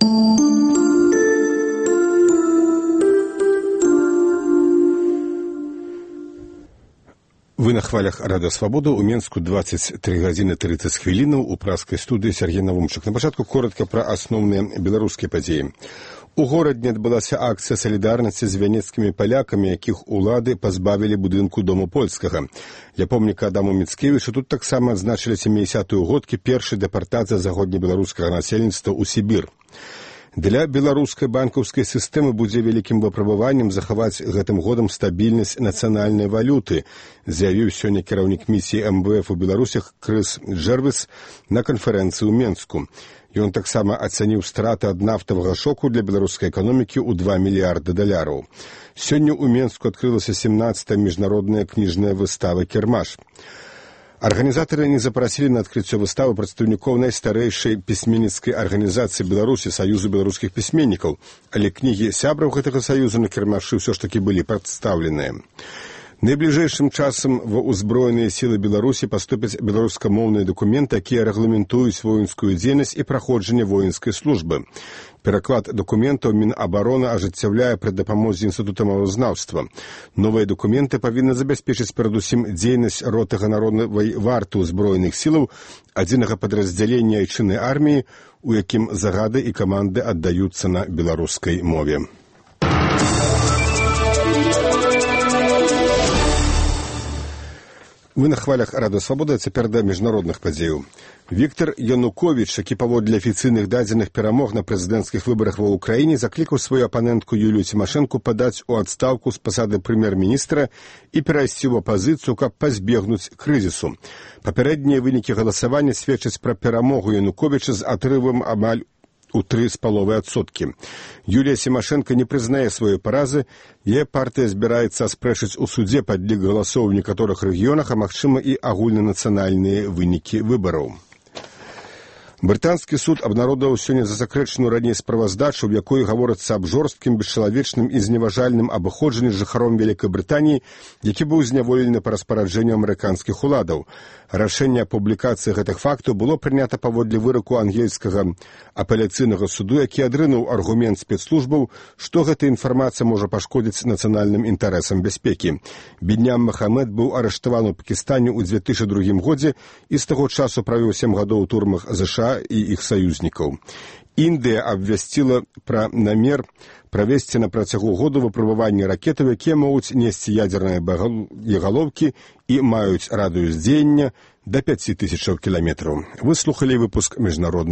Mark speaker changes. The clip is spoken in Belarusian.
Speaker 1: Вы на хвалях Радио Свобода. У Менску 23 гадзіны 30 хвілінаў. У праскай студыі Сергей Навумчык. На пачатку коротка пра асноўныя беларускія падзеі. У горадзе адбылася акцыя салідарнасці з вянецкімі палякамі, якіх улады пазбавілі будынку Дому польскага. Ля помніка Адаму Міцкевічу тут таксама адзначылі 70-ю годкі першай дэпартацыі заходнебеларускага насельніцтва ў Сібір. Для беларускай банкаўскай сістэмы будзе вялікім выпрабаваннем захаваць гэтым годам стабільнасць нацыянальнай валюты, заявіў сёння кіраўнік місіі МВФ у Беларусях Крыс Джэрвіс на канферэнцыі ў Менску. Ён таксама ацаніў страты ад нафтавага шоку для беларускай эканомікі ў $2 мільярды. Сёння ў Менску адкрылася 17-я міжнародная кніжная выстава «Кірмаш». Арганізатары не запрасілі на адкрыццё выставы прадстаўнікоў найстарэйшай пісьменніцкай арганізацыі Беларусі, Саюзу беларускіх пісьменнікаў, але кнігі сябраў гэтага саюза на кірмашы ўсё ж такі былі прадстаўленыя. Найбліжэйшым часам ва ўзброеныя сілы Беларусі паступяць беларускамоўныя дакументы, якія рэгламентуюць воінскую дзейнасць і праходжанне воінскай службы. Пераклад дакументаў Мінабароны ажыццяўляе пры дапамозе Інстытута мовазнаўства. Новыя дакументы павінны забяспечыць перадусім дзейнасць роты ганаровай варты ўзброеных сілаў адзінага падраздзялення айчыннай арміі, у якім загады і каманды аддаюцца на беларускай мове. Вы на хвалях Радио Свобода, цяпер да міжнародных падзеяў. Віктор Януковіч, які паводле афіцыйных дадзеных перамог на прэзідэнцкіх выбарах ва ўкраіне, заклікаў сваю апанентку Юлію Цімашэнку падаць у адстаўку з пасады прэм'ер-міністра і перайсці ў апазіцыю, каб пазбегнуць крызісу. Папярэднія вынікі галасавання сведчаць пра перамогу Януковіча з атрывам амаль у 3,5%. Юлія Цімашэнка не прызнае сваёй паразы, яе партыя збіраецца аспрэчыць у судзе падлік галасоў у некаторых рэгіёнах, а магчыма і агульнанацыянальныя вынікі выбараў. Брытанскі суд абнародаваў сёння засакрэчаную раней справаздачу, у якой гаворыцца аб жорсткім, бесчалавечным і зневажальным абыходжанні з жыхаром Вялікай Брытаніі, які быў зняволены па распараджэнню амерыканскіх уладаў. Рашэнне аб публікацыі гэтых фактаў было прынята паводле выраку ангельскага апеляцыйнага суду, які адрынуў аргумент спецслужбаў, што гэта інфармацыя можа пашкодзіць нацыянальным інтарэсам бяспекі. Біньям Махамед быў арыштаваны ў Пакістане ў 2002 годзе і з таго часу правёў 7 гадоў у турмах ЗША і іх саюзнікаў. Індыя абвясціла пра намер правесці на працягу году выпрабаванні ракетаў, якія могуць несці ядзерныя боегалоўкі і маюць радыус дзеяння да 5000 кіламетраў. Вы слухалі выпуск міжнародных